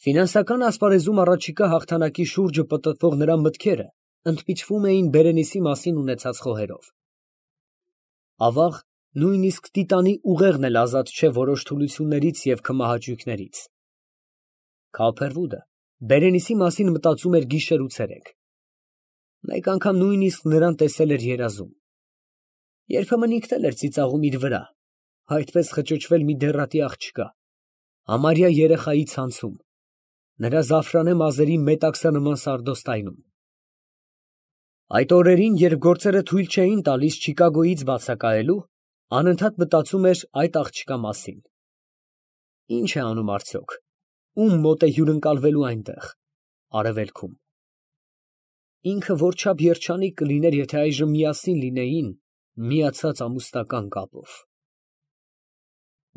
Ֆինանսական ասպարեզում առաջիկա հաղթանակի շուրջը պտտվող նրա մտքերը ընդմիջվում էին Բերենիսի մասին ունեցած խոհերով։ Ավաղ, նույնիսկ տիտանի ուղեղն էլ ազատ չէ որոշ թուլություններից և քմահաճույքներից։ Քավփերվուդը Բերենիսի մասին մտածում էր գիշեր ու ցերեկ։ Մեկ անգամ նույնիսկ նրան տեսել էր երազում։ Երբեմն ինքն էլ էր ծիծաղում իր վրա, այդպես խճճվել մի դեռատի աղջկա, համարյա երեխայի ցանցում, նրա զաֆրանե մազերի մետաքսանման սարդոստայնում։ Այդ օրերին, երբ գործերը թույլ չէին տալիս Չիկագոյից բացակայելու, անընդհատ մտածում էր այդ աղջկա մասին։ Ինչ է անում արդյոք, ում մոտ է հյուրընկալվելու այնտեղ, արևելքում։ Ինքը որչափ երջանիկ կլիներ, եթե այժմ միասին լինեին միացած ամուսնական կապով։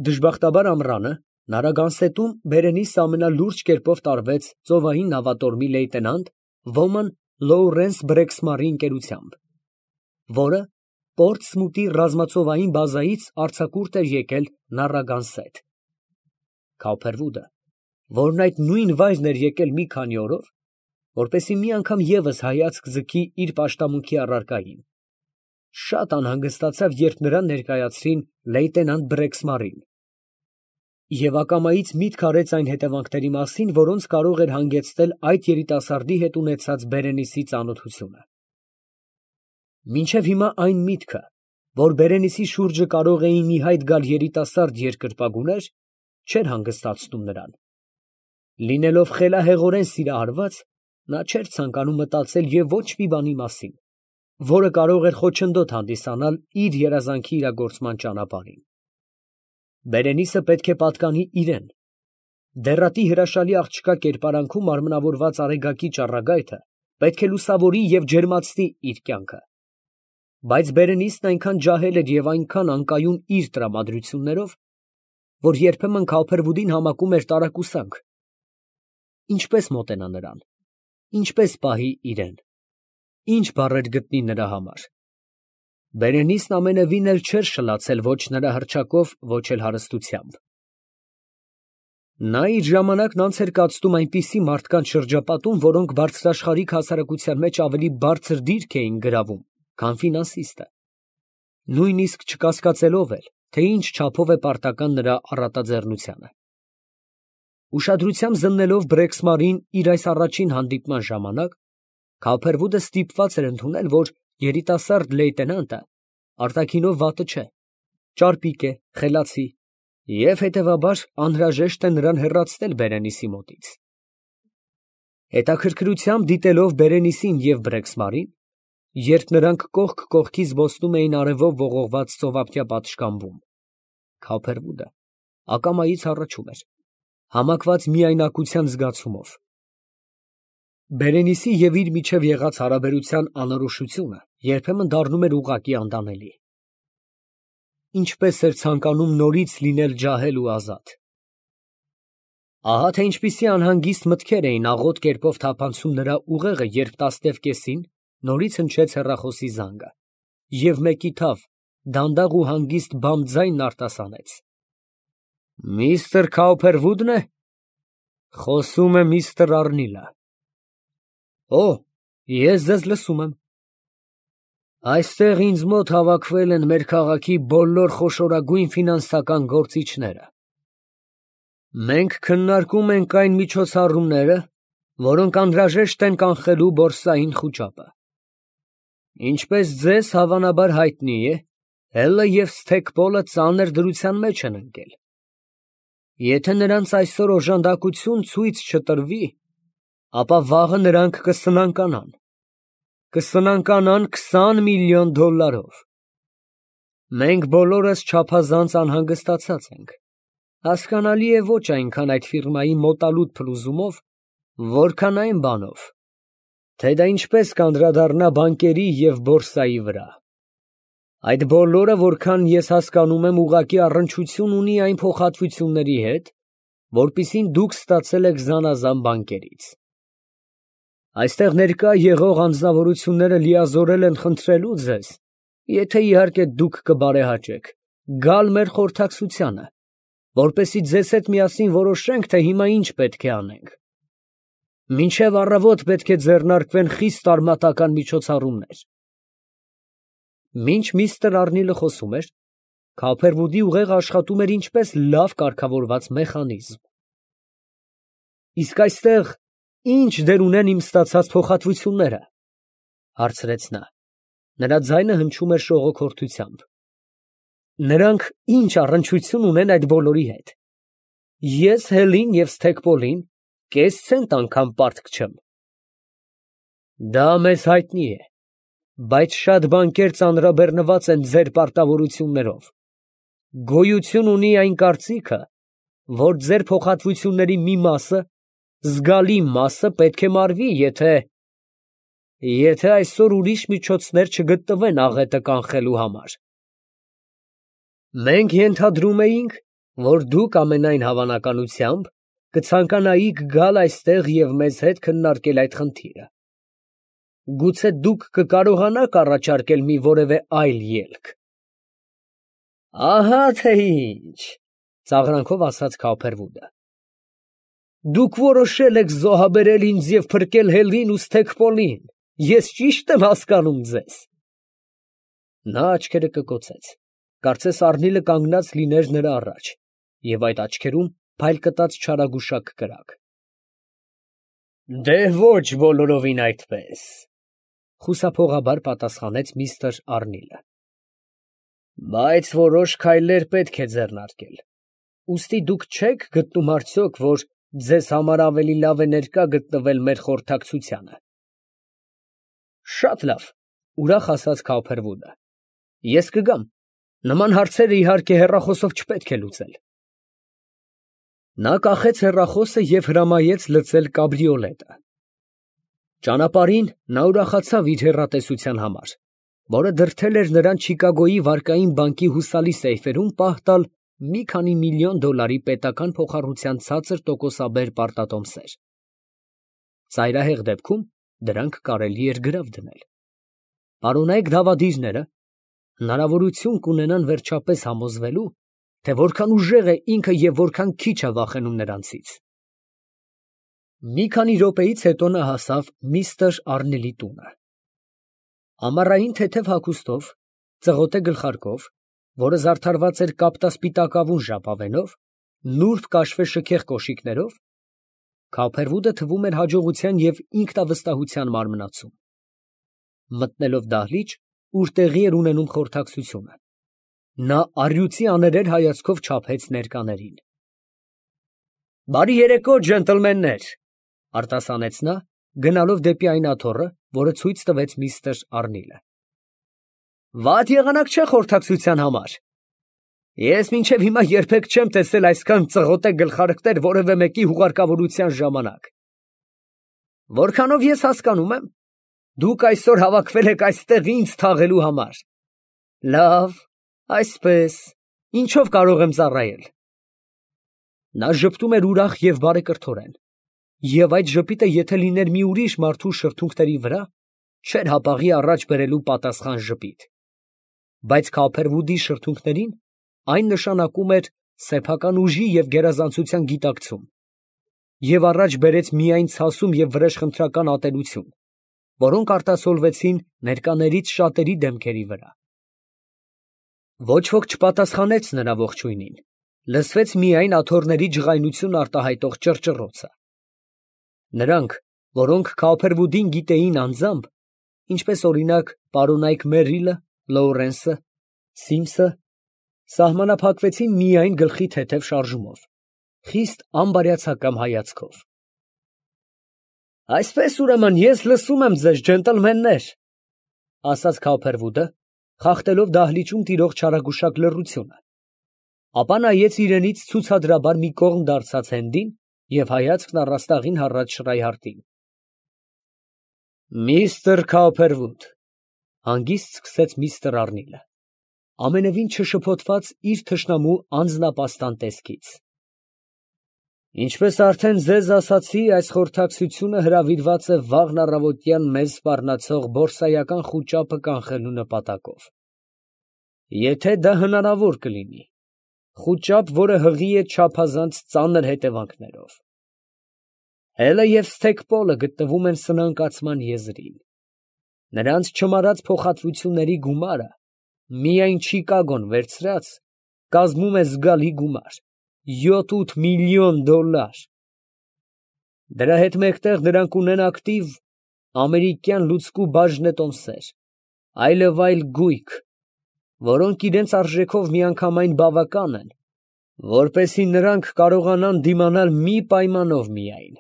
Դժբախտաբար ամռանը Նարագանսետում Բերենիսը ամենալուրջ կերպով տարվեց ծովային նավատորմի լեյտենանտ Ոման Լոուրենս Բրեքսմարի ընկերությամբ, որը Պորտսմութի ռազմածովային բազայից արձակուրդ էր եկել Նարագանսետ։ Քավփերվուդը, որն այդ նույն վայրն էր եկել մի քանի օրով, որպեսզի մի անգամ ևս հայացք ձգի իր պաշտամունքի առարկային, շատ անհանգստացավ, երբ նրան ներկայացրին լեյտենանտ Բրեքսմարին, և ակամայից միտք արեց այն հետևանքների մասին, որոնց կարող էր հանգեցնել այդ երիտասարդի հետ ունեցած Բերենիսի ծանոթությունը։ Մինչև հիմա այն միտքը, որ Բերենիսի շուրջը կարող էին ի հայտ գալ երիտասարդ երկրպագուներ, չէր հանգստացնում նրան։ Լինելով խելահեղորեն սիրահարված, նա չէր ցանկանում մտածել և ոչ մի բանի մասին, որը կարող էր խոչընդոտ հանդիսանալ իր երազանքի իրագործման ճանապարհին։ Բերենիսը պետք է պատկանի իրան։ Դեռատի հրաշալի աղջկա կերպարանքում արմնավորված արեգակի ճառագայթը պետք է լուսավորի և ջերմացնի իր կյանքը։ Բայց Բերենիսն այնքան ջահել էր և այնքան անկայուն իր տրամադրություններով, որ երբեմն Քավփերվուդին համակում էր տարակուսանք։ Ինչպես մոտենա նրան, ինչպես պահի իրան, ինչ բառեր գտնի նրա համար։ Բերենիսն ամենևին էլ չէր շլացել ոչ նրա հռչակով, ոչ էլ հարստությամբ։ Նա իր ժամանակն անց էր կացնում այնպիսի մարդկանց շրջապատում, որոնք բարձրաշխարհիկ հասարակության մեջ ավելի բարձր դիրք էին գրավում, քան ֆինանսիստը, նույնիսկ չկասկածելով էլ, թե ինչ չափով է պարտական նրա առատաձեռնությանը։ Ուշադրությամբ զննելով Բրեքսմարին իր այս առաջին հանդիպման ժամանակ, Քավփերվուդը ստիպված էր ընդունել, որ երիտասարդ լեյտենանտը արտաքինով վատը չէ, ճարպիկ է, խելացի և հետևաբար անհրաժեշտ է նրան հեռացնել Բերենիսի մոտից։ Հետաքրքրությամբ դիտելով Բերենիսին և Բրեքսմարին, երբ նրանք կողք կողքի զբոսնում էին արևով ողողված ծովափնյա պատշգամբում, Քավփերվուդը ակամայից հառաչում էր, համակված միայնակության զգացումով։ Բերենիսի և իր միջև եղած հարաբերության անորոշությունը երբեմն դառնում էր ուղղակի անտանելի։ Ինչպես էր ցանկանում նորից լինել ջահել ու ազատ։ Ահա թե ինչպիսի անհանգիստ մտքեր էին աղոտ կերպով թափանցում նրա ուղեղը, երբ 10:30-ին նորից հնչեց հեռախոսի զանգը, և մեկի թավ, դանդաղ ու հանգիստ բամբ ձայնն արտասանեց. Միստր Քավփերվուդն է։ Խոսում է միստր Առնիլը։ Օ, ես ձեզ լսում եմ։ Այստեղ ինձ մոտ հավաքվել են մեր քաղաքի բոլոր խոշորագույն ֆինանսական գործիչները։ Մենք քննարկում ենք այն միջոցառումները, որոնք անհրաժեշտ են կանխելու բորսային խուճապը։ Ինչպես ձեզ հավանաբար հայտնի է, Հելը և Սթեքպոլը ծանր դրության մեջ են ընկել։ Եթե նրանց այսօր օժանդակություն ցույց չտրվի, ապա վաղը նրանք կսնանկանան։ Կսնանկանան $20 միլիոն։ Մենք բոլորս չափազանց անհանգստացած ենք։ Հասկանալի է ոչ այնքան այդ ֆիրմայի մոտալուտ փլուզումով, որքան այն բանով, թե դա ինչպես կանդրադառնա բանկերի և բորսայի վրա։ Այդ բոլորը, որքան ես հասկանում եմ, ուղղակի առնչություն ունի այն փոխհատվությունների հետ, որպիսին դուք ստացել եք զանազան բանկերից։ Այստեղ ներկա եղող անձնավորությունները լիազորել են խնդրելու ձեզ, եթե իհարկե դուք կբարեհաճեք, գալ մեր խորհրդակցությանը, որպեսզի ձեզ հետ միասին որոշենք, թե հիմա ինչ պետք է անենք։ Մինչև առավոտ պետք է ձեռնարկվեն խիստ արմատական միջոցառումներ։ Մինչ միստր Արնիլը խոսում էր, Քոփերվուդի ուղեղը աշխատում էր ինչպես լավ կարգավորված մեխանիզմ։ Իսկ այստեղ ի՞նչ դեր ունեն իմ ստացած փոխհատվությունները, հարցրեց նա։ Նրա ձայնը հնչում էր շողոքորթությամբ։ Նրանք ինչ առնչություն ունեն այդ բոլորի հետ։ Ես Հելին և Սթեփոլին կես ցենտ անգամ պարտք չեմ։ Դա մեզ հայտնի է, բայց շատ բանկեր ծանրաբեռնված են ձեր պարտավորություններով։ Գոյություն ունի այն կարծիքը, որ ձեր փոխհատվությունների մի մասը, զգալի մասը պետք է մարվի, եթե այսօր ուրիշ միջոցներ չգտնվեն աղետը կանխելու համար։ Մենք ենթադրում էինք, որ դուք ամենայն հավանականությամբ կցանկանայիք գալ այստեղ և մեզ հետ քննարկել այդ խնդիրը։ Գուցե դուք կկարողանաք առաջարկել մի որևէ այլ ելք։ Ահա թե ինչ, ծաղրանքով ասաց Քոփերվուդը։ Դուք որոշել եք զոհաբերել ինձ և փրկել Հելին ու Սթեփոլին, ես ճի՞շտ եմ հասկանում ձեզ։ Նա աչքերը կկոցեց, կարծես Արնիլը կանգնած լիներ նրա առաջ, և այդ աչքերում փայլ կտած չարագուշակ կրակ։ Դե ոչ բոլորովին այդպես, խուսափողաբար պատասխանեց միստր Արնիլը։ Բայց որոշ քայլեր պետք է ձեռնարկել։ Ուստի դուք չեք գտնում արդյոք, որ ձեզ համար ավելի լավ է ներկա գտնվել մեր խորհրդակցությանը։ Շատ լավ, ուրախ ասաց Քոփերվուդը։ Ես կգամ։ Նման հարցերը իհարկե հեռախոսով չպետք է լուծել։ Նա կախեց հեռախոսը և հրամայեց լցել կաբրիոլետը։ Ճանապարհին նա ուրախացավ իր հեռատեսության համար, որը դրդել էր նրան Չիկագոյի վարկային բանկի հուսալի սեյֆերում պահ տալ մի քանի միլիոն դոլարի պետական փոխառության ցածր տոկոսաբեր պարտատոմսեր։ Ծայրահեղ դեպքում դրանք կարելի էր գրավ դնել։ Պարոնայք դավադիրները հնարավորություն կունենան վերջապես համոզվելու, թե որքան ուժեղ է ինքը և որքան քիչ է վախենում նրանցից։ Մի քանի րոպեից հետո նա հասավ միստր Արնիլի տունը։ Ամառային թեթև հագուստով, ծղոտե գլխարկով, որը զարդարված էր կապտասպիտակավուն ժապավենով, նուրբ կաշվե շքեղ կոշիկներով, Քոփերվուդը թվում էր հաջողության և ինքնավստահության մարմնացում։ Մտնելով դահլիճ, ուր տեղի էր ունենում խորհրդակցությունը, նա առյուծի աներեր հայացքով չափեց ներկաներին։ Բարի երեկո, ջենտլմեններ, արտասանեց նա, գնալով դեպի այն աթոռը, որը ցույց տվեց միստր Արնիլը։ Վատ եղանակ չէ խորհրդակցության համար։ Ես մինչև հիմա երբեք չեմ տեսել այսքան ծղոտե գլխարկներ որևէ մեկի հուղարկավորության ժամանակ։ Որքանով ես հասկանում եմ, դուք այսօր հավաքվել եք այստեղ ինձ թաղելու համար։ Լավ, այսպես, ինչով կարող եմ ծառայել։ Նա ժպտում էր ուրախ և բարեկրթորեն, և այդ ժպիտը եթե լիներ մի ուրիշ մարդու շրթունքների վրա, չէր հապաղի առաջ բերելու պատասխան ժպիտ։ Բայց Քոփերվուդի շրթունքներին այն նշանակում էր սեփական ուժի և գերազանցության գիտակցում, և առաջ բերեց միայն ցասում և վրեժխնդրական ատելություն, որոնք արտացոլվեցին ներկաներից շատերի դեմքերի վրա։ Ոչ ոք չպատասխանեց նրա ողջույնին, լսվեց միայն աթոռների ջղայնություն արտահայտող ճռճռոցը։ Նրանք, որոնք Քոփերվուդին գիտեին անձամբ, ինչպես օրինակ պարոնայք Մերիլը, Լոուրենսը, Սիմսը, սահմանափակվեցին միայն գլխի թեթև շարժումով, խիստ անբարյացակամ հայացքով։ Այսպես ուրեմն ես լսում եմ ձեզ, ջենտլմեններ, ասաց Քոփերվուդը, խախտելով դահլիճում տիրող չարագուշակ լռությունը, ապա նայեց իրենից ցուցադրաբար մի կողմ դարձած Հենդին և հայացքն առաստաղին հառած Շրայհարտին։ Միստր Քոփերվուդ, հանգիստ սկսեց միստր Արնիլը, ամենևին չշփոթված իր թշնամու անձնապաստան տեսքից։ Ինչպես արդեն ձեզ ասացի, այս խորհրդակցությունը հրավիրված է վաղն առավոտյան մեզ սպառնացող բորսայական խուճապը կանխելու նպատակով։ Եթե դա հնարավոր կլինի, խուճապ, որը հղի է չափազանց ծանր հետևանքներով։ Հելը և Սթեքպոլը գտնվում են սնանկացման եզրին։ Նրանց չմարած փոխհատվությունների գումարը, միայն Չիկագոն վերցրած, կազմում է զգալի գումար՝ 7-8 միլիոն $։ Դրա հետ մեկտեղ նրանք ունեն ակտիվ ամերիկյան լուծկու բաժնետոմսեր, այլև այլ գույք, որոնք իրենց արժեքով միանգամայն բավական են, որպեսզի նրանք կարողանան դիմանալ մի պայմանով միայն,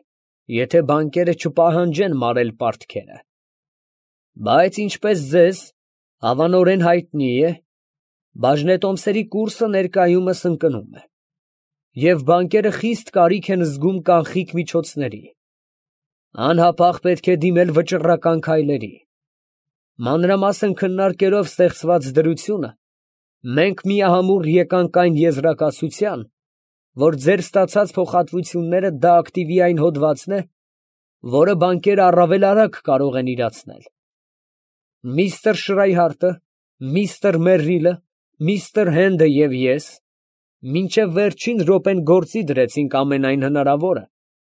եթե բանկերը չպահանջեն մարել պարտքերը։ Բայց ինչպես ձեզ հավանորեն հայտնի է, բաժնետոմսերի կուրսը ներկայումս ընկնում է, և բանկերը խիստ կարիք են զգում կանխիկ միջոցների։ Անհապաղ պետք է դիմել վճռական քայլերի։ Մանրամասն քննարկելով ստեղծված դրությունը, մենք միահամուռ եկանք այն եզրակացության, որ ձեր ստացած փոխհատվությունները դա ակտիվի այն հոդվածն է, որը բանկերը առավել արագ կարող են իրացնել։ Միստր Շրայհարտը, միստր Մերրիլը, միստր Հենդը և ես մինչև վերջին րոպեն գործի դրեցինք ամենայն հնարավորը,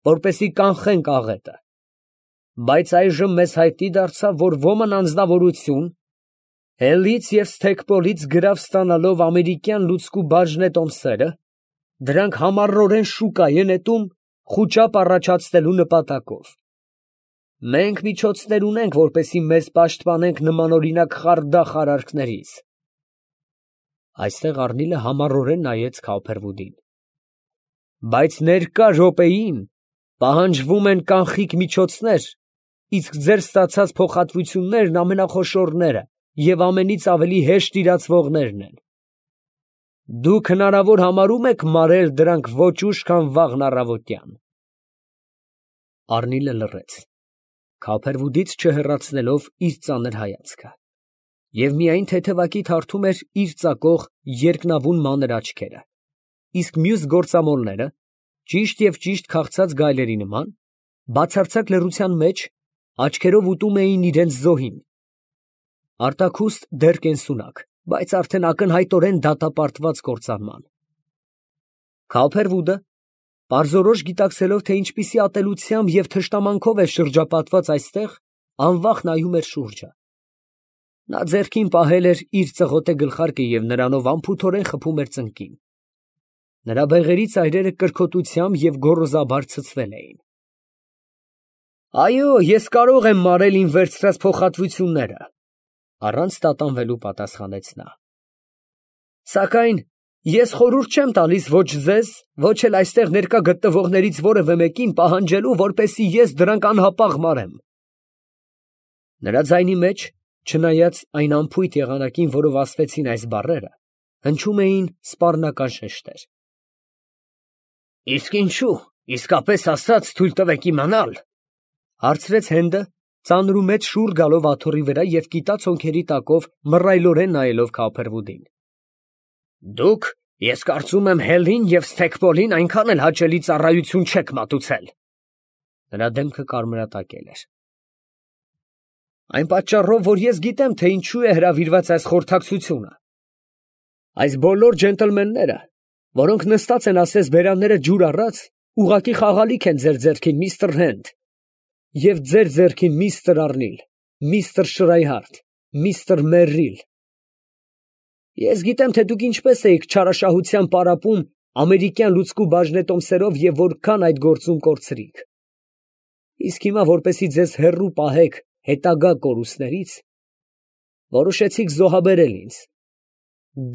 որպեսզի կանխենք աղետը, բայց այժմ մեզ հայտնի դարձավ, որ ոմն անձնավորություն, Հելից և Սթեքպոլից գրավ ստանալով ամերիկյան լուծկու բաժնետոմսերը, դրանք համառորեն շուկա է նետում խուճապ առաջացնելու նպատակով։ Մենք միջոցներ ունենք, որպեսզի մեզ պաշտպանենք նմանօրինակ խարդախ արարքներից։ Այստեղ Առնիլը համառորեն նայեց Քոփերվուդին։ Բայց ներկա րոպեին պահանջվում են կանխիկ միջոցներ, իսկ ձեր ստացած փոխհատվություններն ամենախոշորները և ամենից ավելի հեշտ իրացվողներն են։ Դուք հնարավոր համարում եք մարել դրանք ոչ ուշ, քան վաղն առավոտյան։ Առնիլը լռեց, Քոփերվուդից չհեռացնելով իր ծանր հայացքը, և միայն թեթևակի թարթում էր իր ծակող երկնավուն մանր աչքերը, իսկ մյուս գործամոլները, ճիշտ և ճիշտ քաղցած գայլերի նման, բացարձակ լռության մեջ աչքերով ուտում էին իրենց զոհին։ Արտաքուստ դեռ կենսունակ, բայց արդեն ակնհայտորեն դատապարտված կործանման։ Քոփերվուդը, պարզորոշ գիտակցելով, թե ինչպիսի ատելությամբ և թշնամանքով է շրջապատված այստեղ, անվախ նայում էր շուրջը։ Նա ձեռքին պահել էր իր ծղոտե գլխարկը և նրանով անփութորեն խփում էր ծնկին։ Նրա բեղերի ծայրերը կրքոտությամբ և գոռոզաբար ցցվել էին։ Այո, ես կարող եմ մարել իմ վերցրած փոխհատվությունները, առանց տատանվելու պատասխանեց նա։ Սակայն ես խորհուրդ չեմ տալիս ոչ ձեզ, ոչ էլ այստեղ ներկա գտնվողներից որևէ մեկին պահանջելու, որպեսզի ես դրանք անհապաղ մարեմ։ Նրա ձայնի մեջ, չնայած այն անփույթ եղանակին, որով ասվեցին այս բառերը, հնչում էին սպառնական շեշտեր։ Իսկ ինչու, իսկապես ասած, թույլ տվեք իմանալ, հարցրեց Հենդը, ծանրումեծ շուռ գալով աթոռի վրա և կիտած հոնքերի տակով մռայլորեն նայելով Քոփերվուդին։ Դուք, ես կարծում եմ, Հելին և Սթեքպոլին այնքան էլ հաճելի ծառայություն չեք մատուցել։ Նրա դեմքը կարմրատակել էր։ Այն պատճառով, որ ես գիտեմ, թե ինչու է հրավիրված այս խորհրդակցությունը։ Այս բոլոր ջենտլմենները, որոնք նստած են ասես բերանները ջուր առած, ուղղակի խաղալիք են ձեր ձեռքին, միստր Հենդ, և ձեր ձեռքին, միստր Առնիլ, միստր Շրայհարդ, միստր Մերրիլ։ Ես գիտեմ, թե դուք ինչպես էիք չարաշահությամբ պարապում ամերիկյան լուծկու բաժնետոմսերով և որքան այդ գործում կորցրիք։ Իսկ հիմա, որպեսզի ձեզ հեռու պահեք հետագա կորուստներից, որոշեցիք զոհաբերել ինձ։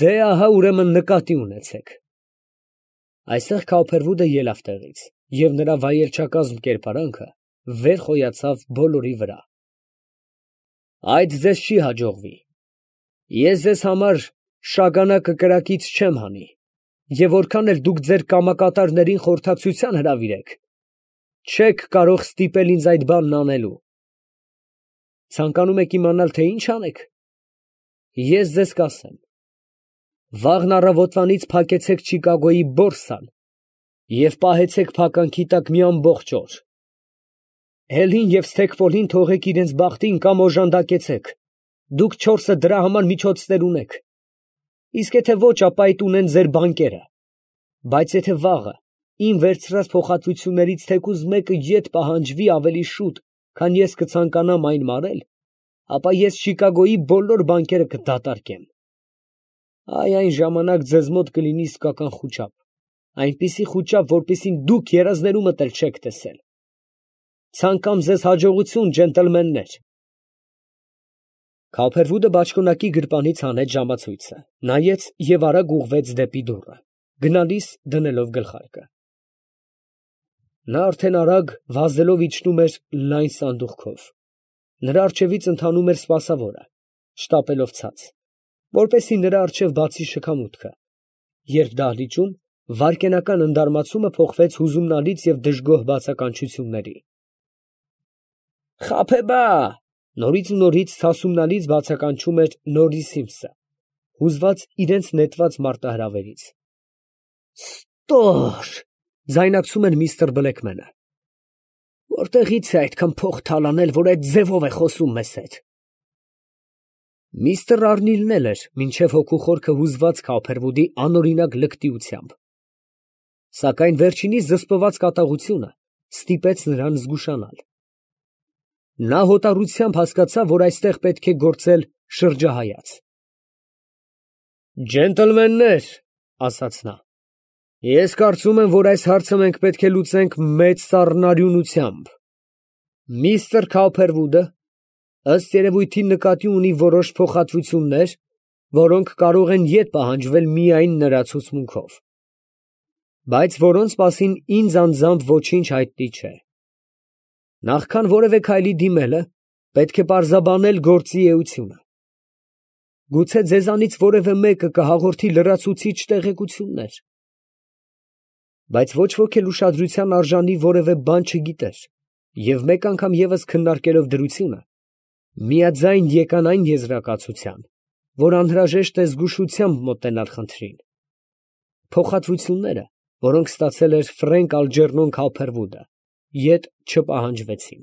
Դե ահա ուրեմն նկատի ունեցեք։ Այստեղ Քոփերվուդը ելավ տեղից, և նրա վայելչակազմ կերպարանքը վեր խոյացավ բոլորի վրա։ Այդ ձեզ չի հաջողվի։ Ես ձեզ համար շագանակը կրակից չեմ հանի, և որքան էլ դուք ձեր կամակատարներին խորհրդակցության հրավիրեք, չեք կարող ստիպել ինձ այդ բանն անելու։ Ցանկանում եք իմանալ, թե ինչ անեք։ Ես ձեզ կասեմ. վաղն առավոտվանից փակեցեք Չիկագոյի բորսան և պահեցեք փականքի տակ մի ամբողջ օր։ Հելին և Սթեքպոլին թողեք իրենց բախտին կամ օժանդակեցեք։ Դուք չորսը դրա համար միջոցներ ունեք։ Իսկ եթե ոչ, ապա այդ ունեն ձեր բանկերը։ Բայց եթե վաղը իմ վերցրած փոխհատվություններից թեկուզ մեկը ետ պահանջվի ավելի շուտ, քան ես կցանկանամ այն մարել, ապա ես Չիկագոյի բոլոր բանկերը կդատարկեմ։ Այ այն ժամանակ ձեզ մոտ կլինի իսկական խուճապ, այնպիսի խուճապ, որպիսին դուք երազներումդ էլ չեք տեսել։ Ցանկամ ձեզ հաջողություն, ջենտլմեններ։ Քափերվուդը բաճկոնակի գրպանից հանեց ժամացույցը, նայեց և արագ ուղղվեց դեպի դուռը, գնալիս դնելով գլխարկը։ Նա արդեն արագ վազելով իջնում էր լայն սանդուղքով։ Նրա առջևից ընթանում էր սպասավորը, շտապելով ցած, որպեսզի նրա առջև բացի շքամուտքը, երբ դահլիճում վայրկենական ընդարմացումը փոխվեց հուզումնալից և դժգոհ բացականչությունների։ «Խաբեբա», նորից ու նորից սասումնալից բացականչում էր Նորի Սիմսը, հուզված իրենց նետված մարտահրավերից։ «Ստոր», ձայնակցում էր միստր Բլեքմենը։ «Որտեղից է այդքան փող թալանել, որ այդ ձևով է խոսում մեզ հետ»։ Միստր Արնիլն էլ էր մինչև հոգու խորքը հուզված Քափերվուդի անօրինակ լկտիությամբ, սակայն վերջինիս զսպված կատաղությունը ստիպեց նրան զգուշանալ։ Նա հոտառությամբ հասկացավ, որ այստեղ պետք է գործել շրջահայաց։ «Ջենտլմեններ», ասաց նա, «ես կարծում եմ, որ այս հարցը մենք պետք է լուծենք մեծ սառնարյունությամբ։ Միստր Քափերվուդը, ըստ երևույթին, նկատի ունի որոշ փոխհատվություններ, որոնք կարող են ետ պահանջվել միայն նրա ցուցմունքով, բայց որոնց մասին ինձ անձամբ ոչինչ հայտնի չէ։ Նախքան որևէ քայլի դիմելը, պետք է պարզաբանել գործի էությունը։ Գուցե ձեզանից որևէ մեկը կհաղորդի լրացուցիչ տեղեկություններ։ Բայց ոչ ոք էլ ուշադրության արժանի որևէ բան չգիտեր, և մեկ անգամ ևս քննարկելով դրությունը, միաձայն եկան այն եզրակացության, որ անհրաժեշտ է զգուշությամբ մոտենալ խնդրին։ Փոխհատվությունները, որոնք ստացել էր Ֆրենկ Ալջերնոն Քափերվուդը, ետ չպահանջվեցին։